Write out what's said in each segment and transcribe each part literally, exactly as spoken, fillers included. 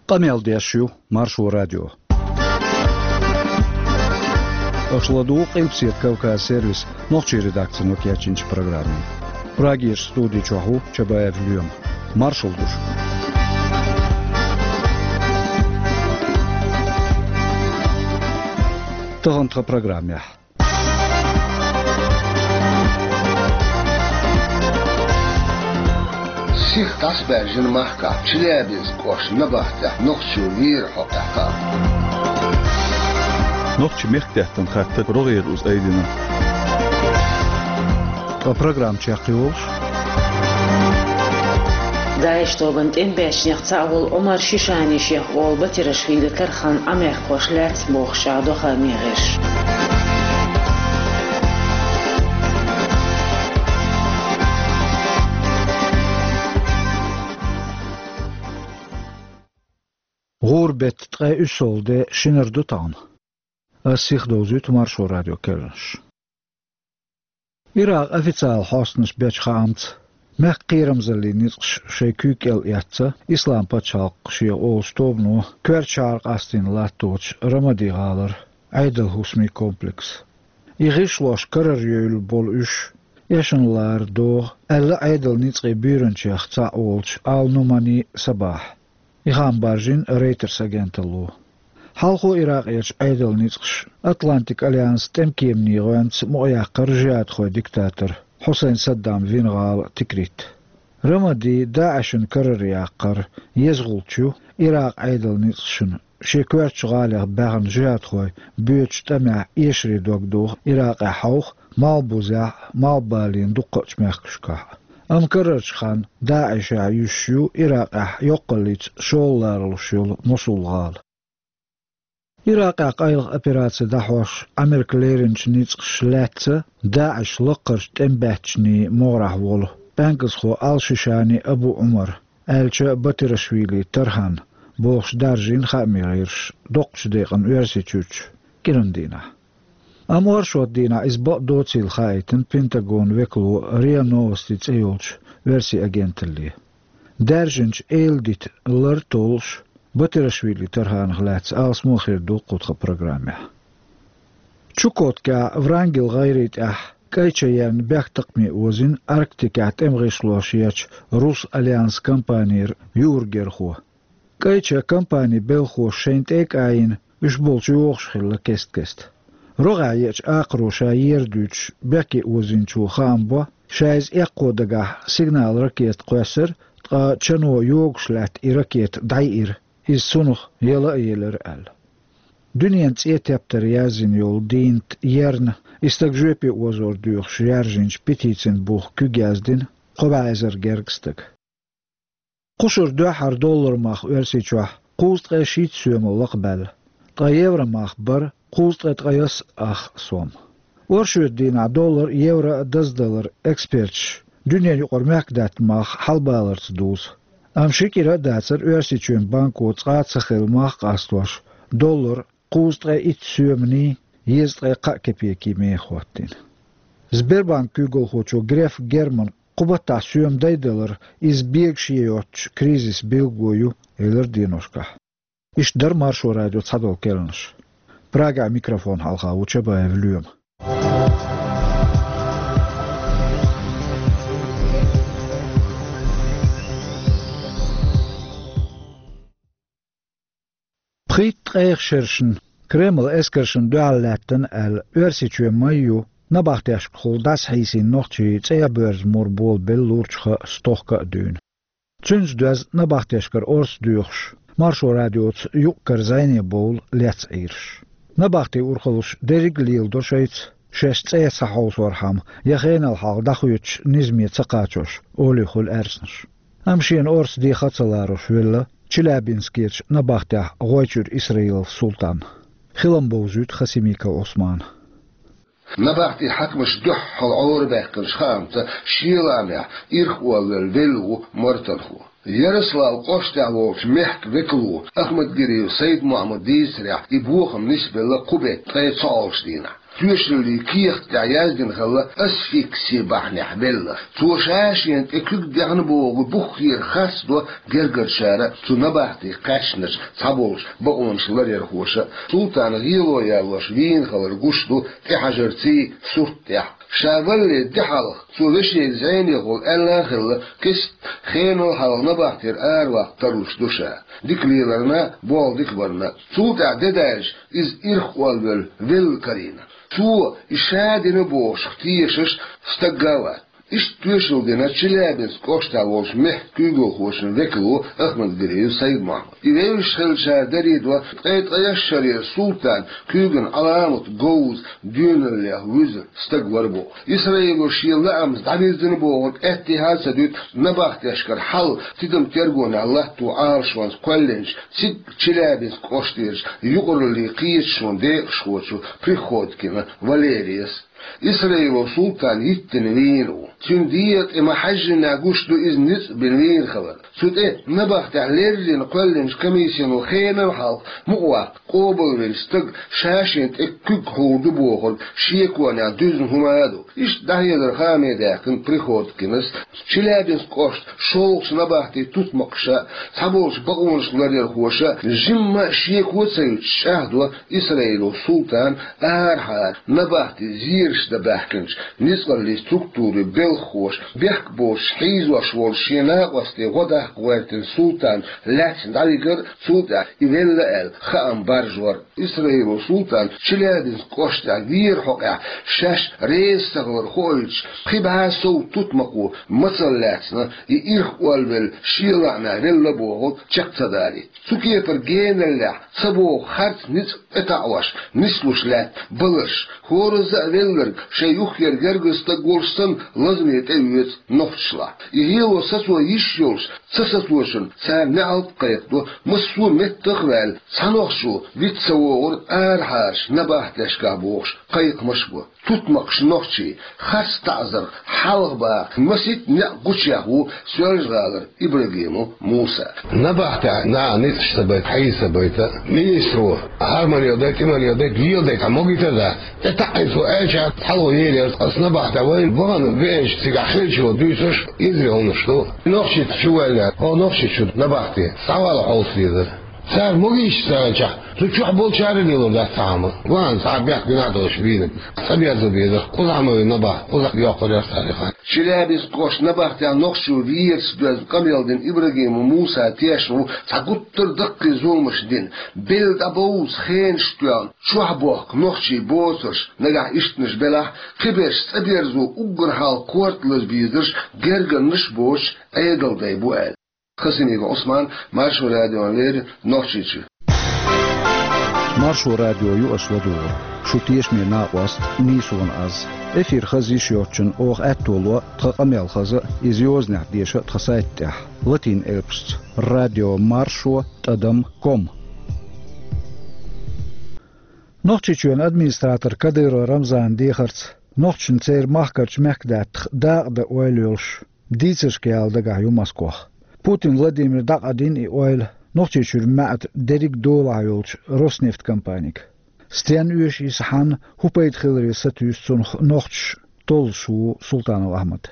Къамел деш ю Маршо радио. Аша ладугӀу Къилбаседа Кавказ сервисан нохчийн редакцино кечйинчу программе. Прагерчу студи чохь ву Чабаев Лоьма. Маршалла ду шуьга. Тахана тхан программехь. Сиха дӀасабаьржина махкахь Челябинск кӀоштан набахтехь нохчо вийра хьокъехь хаам. Нохчийн мехкдаьттан хаттар рогӀера уза айдина. Ткъа программа чекхйолуш. ДАИШ тобанан тӀемабаьччанех цхьаъ волу Ӏумар Шишани шех олу Батирашвили Тархан Ӏамехкахош лаьцна бохуш чӀагӀдо хаамийн гӀирсаша. ГӀуран беттан ткъе уьссалгӀа де шинара ду тахана. Ас сиха довзуьйту Маршо радион керланаш. Иракъан официалан хьостанаша бечу хаамца, мехкан кхерамзаллин ницкъаш шайн куьйга кӀел эцна Исламан пачхьалкх шех олучу тобано коьртачу шахьара къастийна латточу Рамади-гӀалара Ӏедал хӀусамийн комплекс. И гӀишлош карара евлла болу уьш эшна лара догӀу аьлла Ӏедалан ницкъийн буьйранчех цхьаъ волчу Ал-Нумани Сабахьа. И хаам баржийна Reuters агенталло. Хьалхо Иракъерчу Ӏедалан ницкъаша Атлантикан альянсан тӀеман кеманийн гӀоьнца мукъаяккхара жихӀадхойн диктатор Хьусайн Саддаман вина гӀала Тикрит. Рамади ДАИШан карара яккхар еза гӀулч ю Иракъан Ӏедалан ницкъашна шен коьртачу гӀалех баьхна жихӀадхой боьдучу тӀамехь эшаре дог доху Иракъехь хьовха, Малхбузехь а, Малхбален дуккхачу мехкашкахь а. Амма карарчу ханна ДАИШехь юьсуш ю Иракъехь йоккхаллица шолгӀа ларалуш йолу Мосул-гӀала. Иракъехь къайлаха операци дӀахьош Ӏамерка леринчу ницкъаша лаьцна ДАИШан лаккхарчу тӀемабаьччанийн могӀарехь волу пӀаьнкӀазхо Ал-Шишани Абу Ӏумар, аьлча Батирашвили Тархан бохуш даржийна хаамийн гӀирсаша доккхачу декъана Оьрсийчуьрчу кӀиран дийнахь. Амма оршот дийнахь иза бакъ доцийла хаийтина Пентагонан векало РИА Новости цӀе йолчу оьрсийн агенталле. Даьржинчу эладита лар толлуш Батирашвили Тарханах лаьцна алсамо хир ду кху тхан программехь. Чукоткехь Врангель гӀайре тӀехь кӀайча ерна бехктакхаме озийна Арктикехь тӀеман гӀишлош ечу Рус Альянсан компанера юург-герхо. КӀайча компанин белхахоша шайна тӀе а кӀайина, уьш болчу йогӀуш хилла кест-кеста. РогӀехь еачу акхаро ша ер дуьйцуш бехке озийначо хаам бо, ша иза эккхо дагахь сигнал-ракета кхоьссира, ткъа чано йогуш лаьтта и ракета дӀайиира, иза цунах яла а елира аьлла. Дуьненан цӀен тептаре яздина йолу дийнат ерна и стаг жоьпе озор доьхуш яьржинчу петицин буха куьг яздина кхо бӀе эзар гергга стага. Кхушара дуьххьара доллар мах Оьрсийчохь кхузткъе шийтта соьмал лакхабаьлла, ткъа евро мах бара кхузткъе ткъайоьсна ах сом. Оршотан дийнахь доллар а, евро а даздалар эксперташа дуьненан юкъара мехкдаьтта мах хьалабаларца дузу. Амма ши кӀира а дацара Оьрсийчоьнан банко цкъа а ца хилла мах къастош доллар кхузткъе итт соьманий езткъе кхаа кепекий меха хӀоттийна. Сбербанкан куьйгалхочо Греф Германа кху баттахь соьма дайдалар иза бегаш йоцучу кризисан билгало ю, элира деношкахь. Иштта дара Маршо радион цхьадолу керланаш. Прагехь микрофон хьалха ву Чабаев Лоьма. Пхийтта ткъех шершна Кремлан эскаршна дуьхьал лаьттина аьлла, Оьрсийчоь ма-ю набахтешкахула дӀасахьийсийна нохчий цӀа боьрза мур болабелла лурчу хан стохка а дуьйна. Цуьнца доьзна набахтешкара орца доьхуш, Маршо радиоца юкъ-кара зӀене бовла лецна Ӏийраш. Набахтин урхаллаш дерриг а леладо шайца, шаьш цӀа ца хьовсорхьама, я хенал хьалха дӀахоьцучу низаме ца кхачош, олий хуьлу аьрснаш. Амма шена орца деха а ца ларош велла Челябинскерчу набахтехь ГӀойчуьра Исраилов Султан. Хилам бовзуьйту Хасимиков Ӏусмана. Набахтин хьаькамаш дуьххьал Ӏорабаьккхинчу хаамца, шен лаамехь ирхъоллавелла велла ву мортанхо. Ярославль кӀоштехь волчу мехкан векало Ахмадгириев Сайд-Мухьаммада дийцарехь, и бохам нисбелла кху беттан ткъе цхьоалгӀачу дийнахь. Тоьшаллин кехат тӀехь яздина хилла асфикси бахьанехь велла. Цо ша-шена тӀе куьг даьхна бохург буххера харцдо гергарчара, цу набахтин кхаьчнарш, цхьаболчу бакъонаш ларъярхоша. Султан гӀело ялош вийна хилар гуш ду тӀехьажарций сурт тӀехь. Ша валале де хьалха цо вешега зӀенехула аьлла а хилла, кеста хенал хьалха набахтера араваккха тарлуш ду ша. Дика леларна, болх дика барна. Цул тӀаьхьа де даьлча, иза ирх олвелла велла карийна. Цо и ша дина бохуш тешаш стаг а вац. Иштта тоьшалла дина Челябинск кӀоштахь волчу мехкан куьйгалхочун векало Ахмадгалиев Сайд-Мохьмад. И вевзаш хиллачара даре до, ткъе ткъайоьсналгӀачу шарера Султан куьйган Ӏаламат говза доьналлех вуьзна стаг вара боху. Исраило шен лаамца дӀавирзина бохург аьттехьа а ца дуьту набахтешкара хьал тидам тергонехь латто Ӏалашонца кхоьллинчу, цига Челябинск кӀоштерачу юкъараллин кхеташонан декъашхочу Приходкина Валерияс. Исраило Султан йиттина вийна ву. Цуьнан дегӀа тӀе ма-хьаьжжинехь гуш ду иза ницкъ бина вийна хилар. Цу тӀе набахтехь леррина кхоьллинчу комиссино хенал хьалха мукъаваккха къобалвинчу стага ша-шена тӀе куьг хьур ду бохург шеконехь дуьзна хӀума а ду. Иштта дӀахьедар хааме даьккхина Приходкинас. Челябинск кӀоштан шолгӀачу набахтин тутмакхаша, цхьаболчу бакъонаш ларъярхоша жимма а шеко ца юьтуш чӀагӀдо Исраило Султан арахьара набахти зераш дан баьхкинчу ницкъаллин структурийн белхахоша. Бехк боцуш хьийзош волчу шен накъостий гӀо даккха гӀоьртина Султан лаьцна дӀавигар а, цул тӀаьхьа и велла аьлла хаам баржор. Исраило Султан Челябинск кӀоштахь вер хьокъехь шаьш реза ца хилар хоуьйтуш, кхин бӀе сов тутмакхо мацалла лаьцна, и ирх олвелла шен лаамехь велла бохург чекх ца далийта. Цу кепара геналлехь ца боху харц ницкъ тӀетаӀош нислуш лаьтта баларш, хӀоразза а велларг шайн юххера гергара стаг волуш санна лазаме тӀеоьцу нохчашлахь. И гӀело сацо йиш йолуш ца сацочунна цара неӀалт а кхайкхадо, массо а меттах а ваьлла, цхьа нохчо виц ца вогӀура арахьарчу набахтешкахь бохуш кхайкхамаш а бо. Тутмакхаш нохчий, харц таӀзарх хьалха баха масийтта некъ гучуяхна ву Соьлжа-ГӀалара Ибрагимов Муса. Набахтехь наха ницкъаш ца байта, хьийза ца байта, министро хӀара ма леладай, тӀе ма леладай, леладай, цхьа могийта а дац. ТӀетаӀийта аьлча, хьалха елира, аса набахтехь вайна вахана веанчу цигахь хиллачо дуьйцурш эзар хӀуманаш ду. Нохчийчу чу ваьлла, хьо Нохчийчу набахте схьавала хьовса дезара. Цара могийча ца аьлчахь, цу чохь болчара а лело дац цхьа хӀума. Ван цхьа бехк гина а долуш вийна. ЦӀа берзо безара, кхузахь ма вина набахте, кхузахь йоккхур яра цара и хан. Челябинск кӀоштан набахтехь нохчо верца доьзна къамел дина Ибрагимов Муса тешна ву цхьа гуттар а даккхий зуламаш дина. Белла дӀабовза хенаш тоьхна, чохь бохку нохчий боцурш, нагахь ишттанаш белахь, кхиберш цӀа берзо уггар хьалха корта лаза безарш гергарнаш а боцуш Ӏедалдай бу аьлла. Хасимиков Ӏусман, Маршо радиона леррина, Нохчийчуьра. Маршо радио ю аша ладугӀург. Шу тешаме накъост, нийсонан аз. Эфир хаза йиш йоцучунна оха аьтто ло тхан къамел хаза, иза йозанехь деша тхан сайта тӀехь, латин элпашца: радио маршо тӀадам ком. Нохчийчоьнан администратор Кадыров Рамзанан дехарца, нохчашна церан махкарчу мехкадаьттах дакъа дан ойла йолуш, дийцаршка яла дагахь ю Москох. Путин Владимира дӀакъадийна и ойла Нохчийчуьра маьӀда дерриг а долахь йолчу Роснефть компанига. Стенна оьшу иза, хьанна, хӀун пайда хиларе сатуьйсу цунах нохчаша, толлуш ву Султанов Ахьмад.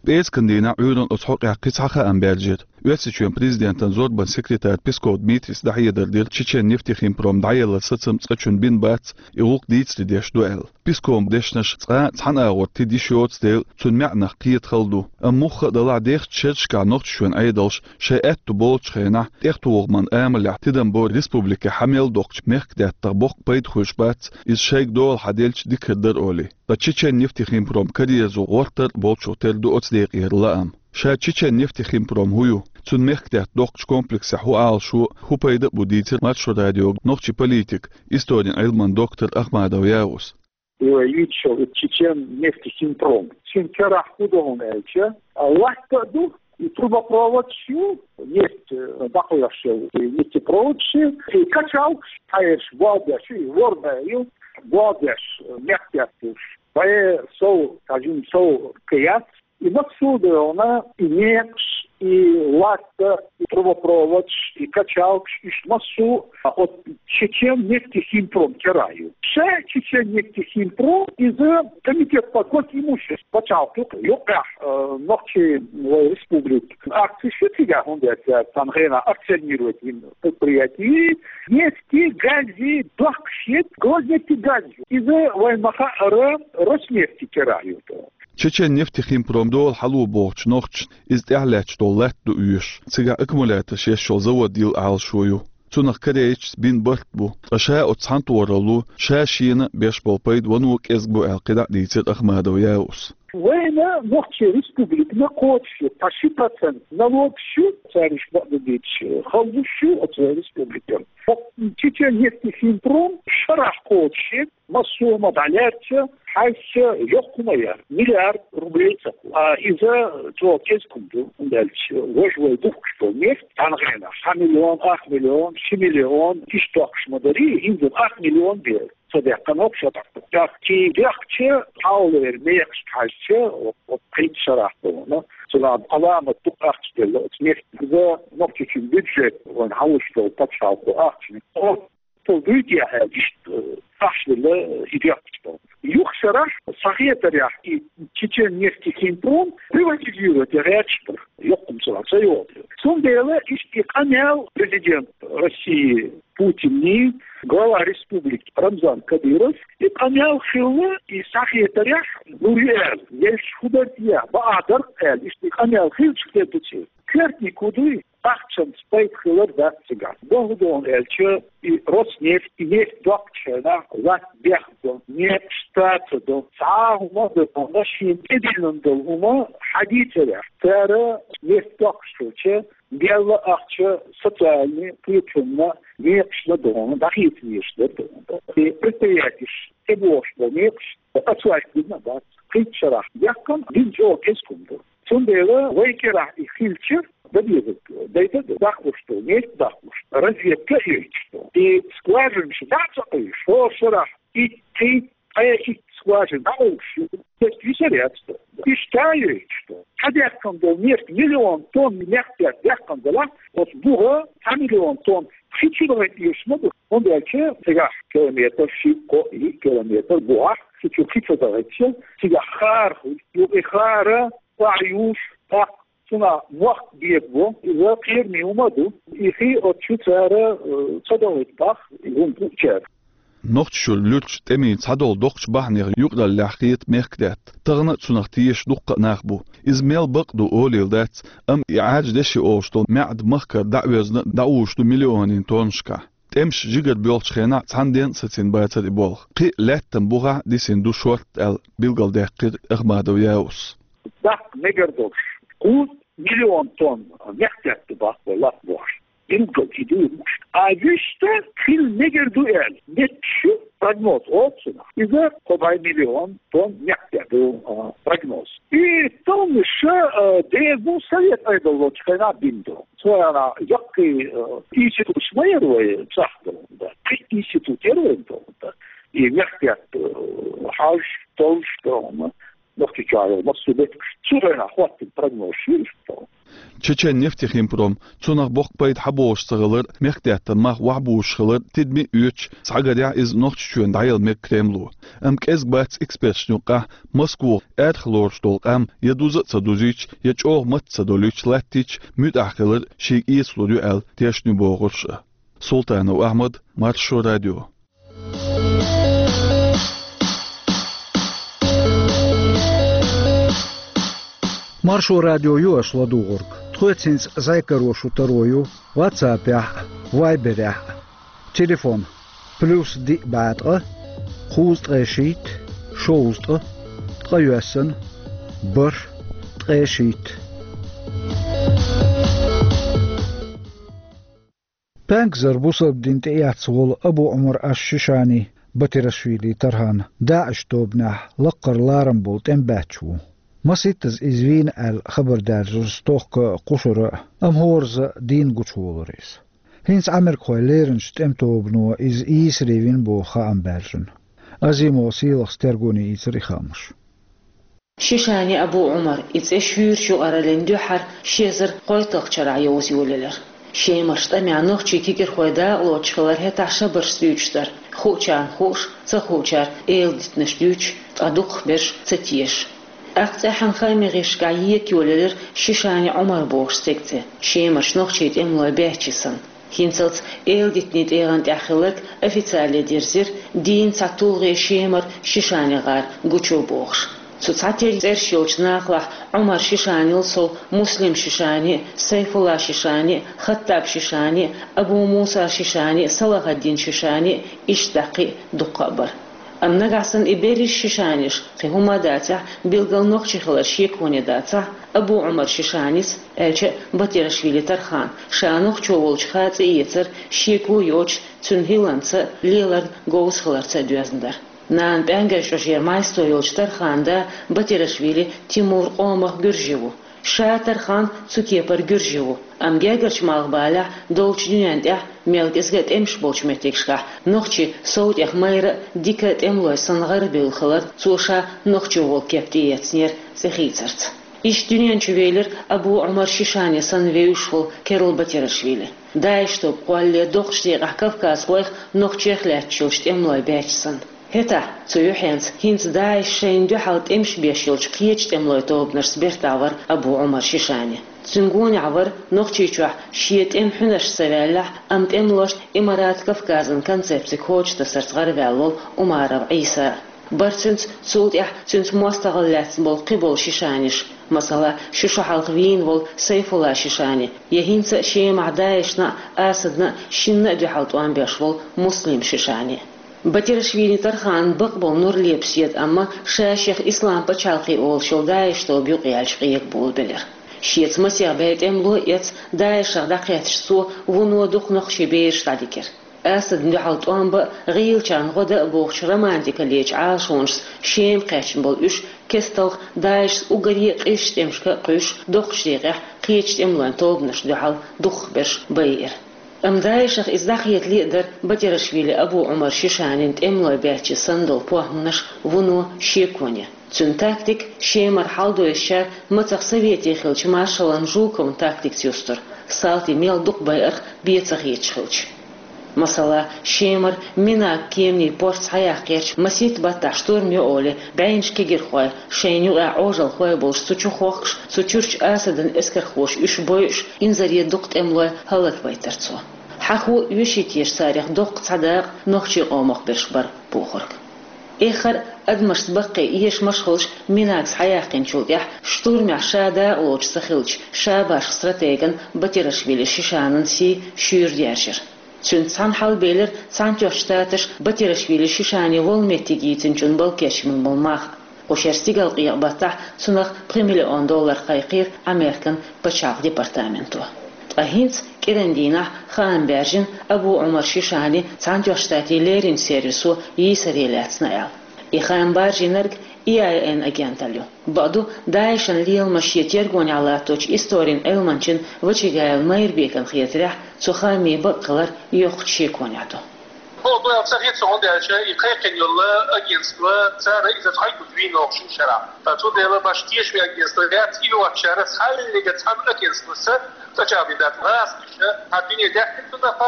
ПӀераскан дийнахь Ӏуьйранна оцу хьокъехь кхин цхьа хаам баьржира. Оьрсийчоьнан президентан зорбанан секретара Песков Дмитрийс дӀахьедар дира, Чечен-нефтехимпром дӀаелларан сацам цкъачунна бина бац, и гӀуллакх дийцаре деш ду аьлла. Песковн дешнаш цкъа а цхьана агӀор тида йиш йоцу дела, цуьнан маьӀнах кхета хала ду. Амма мухха а далахь, дехачу шерашкахь Нохчийчоьнан Ӏедалша шайн аьтто болчу хенахь, тӀехтухаран амалехь тидам бо республике хьан мел доккхучу мехкадаьттах боккха пайда хуьлуш бац, иза шайга дола хьан делча дика хир дара олий. Ткъа Чечен-нефтехимпром караерзо гӀортар а болчух тера ду оцу декъера лаам. Ша Чечен-нефтехимпром хӀун ю, цуьнан мехкадаьтта доккхучу комплексехь хӀун Ӏалашо, хӀун пайда а бу дийцира Маршо радиога нохчийн политик, историн Ӏилманан доктор Ахмадов Яус. Его видел Чечен нефтехимпром. Цуьнан карахь хӀун ду хьуна аьлча, а, латта а ду, и трубопроводаш ю, нефть, э, дӀакхоьхьуш йолу, и нефтепроводаш ю, и качалкаш, хьаерш болх беш ю, и ворда ю, болх беш, э, мехкадаьтташ. Вай сов, скажем, сов кхин яц, и массо а ду хьуна, и некъаш, и латта, и трубопроводаш, и качалкаш, иштта массо а оцу Чечен нефтехимпром керахь ю. Ша Чечен нефтехимпром, иза комитет по госимуществу пачхьалкхо юкъехь, э, нохчийн вай республика акцеш ю цигахь, хӀунда аьлча царна хенахь акционировать йина предприятие, нефти, гази дохкуш ю, Гознефтегаз ю. Иза вайн ма-хаъара Роснефти керахь ю. Чечен нефтехимпром дола хьало бохучу нохчашна иза тӀаьхьалаьтташ долу латта ду оьшуш, цигахь аккумуляторш еш йолу завод йилла Ӏалашо ю. Цунах корейцаша бина барт бу, ткъа ша оцу цхьаьнатохаралло ша шена беш болу пайда вано кӀезиг бу аьлла кхидӀа а дийцира Ахмадов Яуса. Вайна нохчийн республикана кхочуш ю, цхьа ши процент налогаш ю, цаьрга бакъдерг дийцича, хьалуш ю оцу вайн республикана. Чечен нефтехимпром шарахь кхочуш ю, массо а хӀума дӀалаьцча, хьаьжча, йоккха хӀума яра, миллиард рублей ца кху. А иза чӀогӀа кӀезиг хӀума ду, хӀунда аьлча важа вай духкуш долу нефть, цхьана хенахь цхьа миллион, ах миллион, ши миллион, иштта дохкуш ма дарий, хӀинца ах миллион бер ца даьккхина хӀокху шарахь. ТӀаккха кхин дехча, хьалхалера мехашка хьаьжча, оцу кхин шарахь долу, цунах Ӏаламат дукха ахча делла оцу нефтехь. Иза Нохчийчоьнан бюджет вайн хьалуш долу пачхьалкхо ахчаниг Цо дуьйцу аьлла, иштта, э, ахча делла, э, и дехкаш долу. Юха шарахь, сан хетарехь, и Чечен нефтехимпром приватизировать ян гӀерташ бара. Йоккха хӀума ца йогӀу. Цундела иштта и къамел президент России Путинан, глава республики Рамзан Кадыров, и къамел хилла, и сан хетарехь, ну, и аьлла, еш хӀун дара те, бакъ дара аьлла, иштта и къамел хилча хир ду церан. Коьртаниг хӀун дуй? Ахчанца пайда хилар дац цигахь. БохургӀа аьлча, и Роснефть, и нефть доккхучу хенахь латта бехк бо, некъаш цӀа ца до, цхьа а хӀума а дан, шена тӀедиллина долу хӀума хьадийцарехь, цара нефть доккхуш хилча, делла ахча социальный кхетамна, некъашна дона, дӀахеца везаш дара дона. И предприятеш тӀебогӀуш болу некъаш оцу вайх дина а бац. Кхин шарахь дехкина, дина чӀогӀа кӀезиг хӀума ду. Цундела вай кӀирахь и хилча, дан дезарг дайта а ду, даккхалуш ду, нефть даккхалуш ду, разведка а йойтуш ду. И скважинаш дӀа а ца къуьйсуш, хӀора шарахь итт, ткъе итт скважина дӀакъовлуш ю, нефть висар яц ду. Иштта а йойтуш ду. Цхьа дехкина долу нефть миллион тонна мехкдаьтта дехкина делахь, оцу бухахь цхьа миллион тонна кхин чу дахийта оьшуш ма ду. ХӀунда аьлча цигахь километр, ши, кхо, йиъ километр бухахь, цу чу кхин ца дахийтича, цигахь хара хуьлу. Юха и хара охьаюьйш, тӀаккха цунах мохк бегабо, иза кхераме хӀума а ду. И хи оцу чу цара, э, ца дахийта боху, и хӀума бу цара. Нохчийчуьра луьрачу тӀемийн цхьадолу доккхачу бахьанех юкъараллехь хета мехкдаьтта. Тахана а цунах тешаш дуккха а нах бу. Иза мел бакъ ду олийла дац, амма и Ӏаьржа деши олуш долу маьӀда махкара дӀа а вевзина, дӀаозуш ду миллионийн тоннашкахь. ТӀемаш жигара боьлхучу хенахь цхьана денна а сацийна бацара и болх. Кхин а лаьттан бухахь дисина ду шортта аьлла, билгалдаьккхира Ахмадов Яуса. Дахка мегар долуш, кхузткъа миллион тонна мехкдаьтта баккха вай латта бохуш. Билггал и ду и муш. А вуьшта хила мегар ду аьлла, метташ ю прогноз оцунах. Иза кхо бӀе миллион тонна мехкдаьтта ду, а, прогноз. И тоннаш, а, деза ду Совет Ӏедал волчу хенахь бина ду. Цу хенахь яккхий, а, институташ ма яра вай цӀахь долу, да. Кхин институт яра вайн долу, да. И мехкдаьтта, а, хьажа, толлуш долу, Нохчийчохь йолу массо а меттигаш цу хенахь хӀоттийна прогнозаш ю иштта. Чечен нефтехимпром, цунах боккха пайда хьаболуш ца хилар, мехкдаьттан мах охьабузуш хилар тидаме а оьцуш, схьагарехь иза Нохчийчоьнна дӀаяла мега Кремло. Амма кӀезиг бац эксперташна юккъехь, Москвахь аьрха лоруш долу къам я дуза а ца дузийча, я чӀогӀа матта ца долуьйтуш латтийча, муьтӀахь хилар шега эцалур ю аьлла тешна ю бохурш а. Султанов Ахьмад, Маршо радио. Маршо радио ю аша ладугӀург. Тхоьца хӀинца зӀе каро шун таро ю WhatsApp-ехь а, Viber-ехь а. Телефон: плюс диъ бӀе ткъа, кхузткъе шийтта, шовзткъа, ткъайоьсна, бархӀ, ткъе шийтта. Пенкзар бусалба дин тӀеэцна волу Абу Ӏумар аш-Шишани, Батирашвили Тархан, ДАИШ тобанехь лаккхара ларам болу тӀемабаьчча ву. Масийттаза иза вийна аьлла хабар даьржира стохка кху шарахь, амма хӀоразза дийна гучуволура иза. ХӀинца Ӏамеркахой леринчу тӀематобано иза ийсаре вина боху хаам баьржина. Азимов Сийлахьс тергоне ийцира и хаамаш. Шишани Абу Ӏумар, и цӀи шуьйрачу юкъараллин дуьххьара ши эзар кхойтталгӀачу шарахь йовза йолаелира. Шемарчу тӀамехь нохчийн кегирхой дакъалоцуш хилар хӀетахь шабаршца дуьйцуш дара, хуучарна хууш, ца хуучара эладитанаш дуьйцуш, ткъа дукхахберш ца тешаш. ТӀаккха цӀеххьана хаамийн гӀирсашкахь ека йолаелира Шишани Ӏумар бохуш стеган цӀе, Шемарчу нохчийн тӀемалой баьччи санна. ХӀинцалц эладитанийн тӀегӀан тӀехь хилларг официале дирзира, дийнна цхьа тулгӀе Шемара Шишани гӀар гучу бохуш. Цу цхьатерра цӀераш йолчу нахалахь Ӏумар Шишанил сов Муслим Шишани, Сайфулла Шишани, Хаттаб Шишани, Абу Муса Шишани, Салахаддин Шишани, иштта даккхий дуккха а бара. Амма нагахь санна и берриш Шишаниш, кхин хӀума а дацахь, билггал нохчи хилар шеконе дацахь, Абу Ӏумар Шишанис, аьлча а Батирашвили Тархан, ша нохчо волчу хаа цӀе эцар шеко йоцуш, цуьнан хӀилланца, леларна говза хиларца доьзна дара. Нана пӀаьнгарчу чӀожера Майсто йолчу Тарханан да Батирашвили Тимур къомах гуьржи ву. Ша Тархан цу кепара гуьржи ву, амма гергарчу малхбалехь долчу дуьнен тӀехь мел кӀезга а тӀемаш болчу меттигашкахь нохчи сов тӀех майра а, дика а тӀемалой санна гӀарабевлла хилар цо ша нохчо волу кеп тӀеэцнера цӀе хийцарца. Иштта дуьнен чу велира Абу Ӏумар Шишани санна вевзаш волу керла Батирашвили. ДАИШ тоба кхоллале доккхачу декъехь кавказхойх, нохчех лаьтташ йолчу тӀемалой баьччи санна. ХӀетахь, цу юьхьенца, хӀинца ДАИШ шайна дуьхьал тӀемаш беш йолчу кхечу тӀемалойн тобанашца бертахь вара Абу Ӏумар Шишани. Цуьнан гонехь вара Нохчийчохь шен тӀеман хьуьнарш ца ваьллехь, амма тӀемалошна Имарат Кавказан концепци кхочушдасарца гӀараваьлла волу Умаров Ӏийса. Бара цуьнца, цул тӀаьхьа цуьнца мостагӀалла лаьцна болу кхиболу Шишаниш, масала, ши шо хьалха вийна волу Сайфулла Шишани, я хӀинца а Шемахь ДАИШна а, Асадна а шинна а дуьхьал тӀом беш волу Муслим Шишани. Батирашвили Тарханан бакъболу нур лепаш еза, амма ша шех Ислам пачхьалкхе олуш йолу ДАИШ тоба юкъаяьлча къегаболабелира. Шеца масех бӀе тӀемало а эцна, ДАИШах дӀакхетташ цо вуно дукха нохчийн бераш дӀадигира. Асадна дуьхьал тӀом бан а, гӀийлачарна гӀо дан а бохучу романтикаллечу Ӏалашонашца Шема кхаьчна болу уьш кесталгӀа ДАИШца уггаре а къизачу тӀемашка а кхуьйсуш, доккхачу декъехь кхечу тӀемалойн тобанашна дуьхьал дукхахберш байира. Амма ДАИШах иза дӀахетале а дара Батирашвили Абу Ӏумар Шишанин тӀемалой баьччи санна долу похӀманаш вуно шеконе. Цуьнан тактика Шемара хьалдоьссичара мацах совете хиллачу маршалан Жуковн тактикаца юстура, салтий мел дукха байарх бен ца хеташ хилча. Масала, Шемара Минаг кеманийн порт схьаяккхарца масийтта баттахь штурм йо олий, бӀеннаш кегирхой, шайна юкъахь Ӏожалхой болуш цу чу хохкуш, цу чуьрчу Асадан эскархоша уьш бойуш, инзаре дукха тӀемалой хӀаллаквайтара цо. Хьахо а, оьший теша царах доккха цхьа дакъа нохчийн къомах берш бара бохург. Эххар а адамашца баккхий эшамаш а хуьлуш, Минаг схьаяьккхинчул тӀаьхьа штурмехь ша дакъалоцуш ца хиллачу шабашха стратеган Батирашвили Шишанан сий шуьйра даьржира. Цуьнца цхьаьна хьалабелира Цхьаьнатоьхначу Штаташа Батирашвили Шишани волу меттиг йийцинчун бала кечбина болу мах. Кху шеран стигалкъекъа баттахь цунах пхи миллион доллар кхайкхийра Американ пачхьалкхан департаменто. Ткъа хӀинца кӀиран дийнахь хаам баьржина Абу Ӏумар Шишани Цхьаьнатоьхначу Штатийн леринчу сервисо йийсаре лаьцна аьлла. И хаам баржийнарг И Ай Эн агенталла ю. Бакъду, ДАИШан леламаш шен тергонехь латточу историн Ӏилманчин Вачагаев Майрбекан хетарехь, цу хаамийн бакъ хилар йоккхачу шеконехь ду. Бо, бо, ца хеташ хӀунда аьлча, и кхайкхина йолу агентство, цара иза цхьайгуш вийна воккхачу шарахь. Ткъа цундела баш тешаме агентство яц, и йоцучара цхьаьллига цхьана агентствоца цӀачӀагӀдина дац. ГӀазкхаша хьан дуьне даьхкина цунах,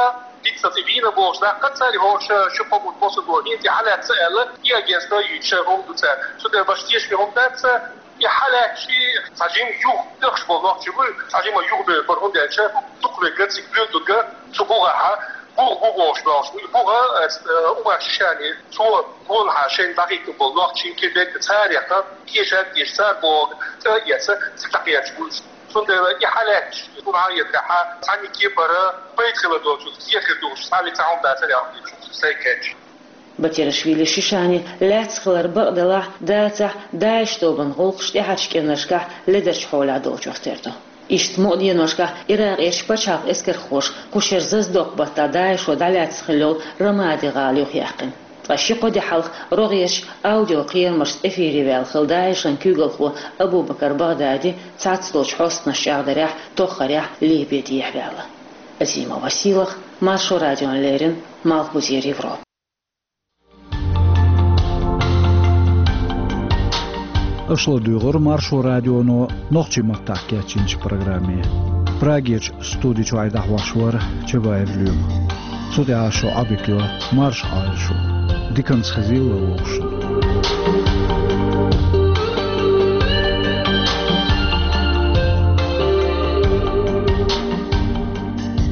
диццалц и вийна бохуш даккха цара, хӀорш ши-кхо бутт босса боху, хӀинца и хьалаьцна аьлла, и агентство юьйцуш хӀума ду цара. Цундела баш тешаме хӀума дац, и хьалаьцча, цхьа жима юха тӀехаш болу нохчий бу, цхьа жима юха бевр бара, хӀунда аьлча дукха вегга цига буьйлдург цу бухахьа, бух бу бохуш бохуш бу. И буха, э, Умар Шишани, цо гонахьа шайна дӀахӀиттина болу нохчийн кхин дерг царех, кешан деш цара боху, тӀе а эцна, цига дӀакхаьчна бу уьш. Цундела и хьалаьцча, и хӀума хьаэцарехьа, цхьаьнники бара, пайда хила доцург, кехира духуш, цхьаьллига цхьа хӀума дацара аьлла, шу сайга кхаьчча. Батирашвили Шишани лаьцна хилар бакъ делахь а, дацахь а, ДАИШ тобанан гӀуллакхаш тӀаьхьарчу кӀирнашкахь ледарчу хьолехь долчух тера ду. Иштта мукъа деношкахь Иракъерчу пачхьалкхан эскархоша кху шеран зазадоккху баттахь ДАИШо дӀалаьцна хилла йолу Рамади гӀала юхаяьккхина. Ткъа ши-кхо де хьалха рогӀерчу аудиокхерамашца эфире ваьлла хилла ДАИШан куьйгалхо Абу-Бакар Багъдади цхьацца долчу хьостанаша чӀагӀдарехь, тоххарехь Ливе дехьаваьлла. Азима Василах, Маршо радиона леррина, Малхбузера Европа. Аша ладугӀура Маршо радионо нохчийн маттахь кечйинчу программе. Прагерчу студи чохь дӀахьош вара Чабаев Лоьма. Цу тӀехь шун Ӏодика йо Маршо Ӏалашо. Диканца хезийла вовшашна.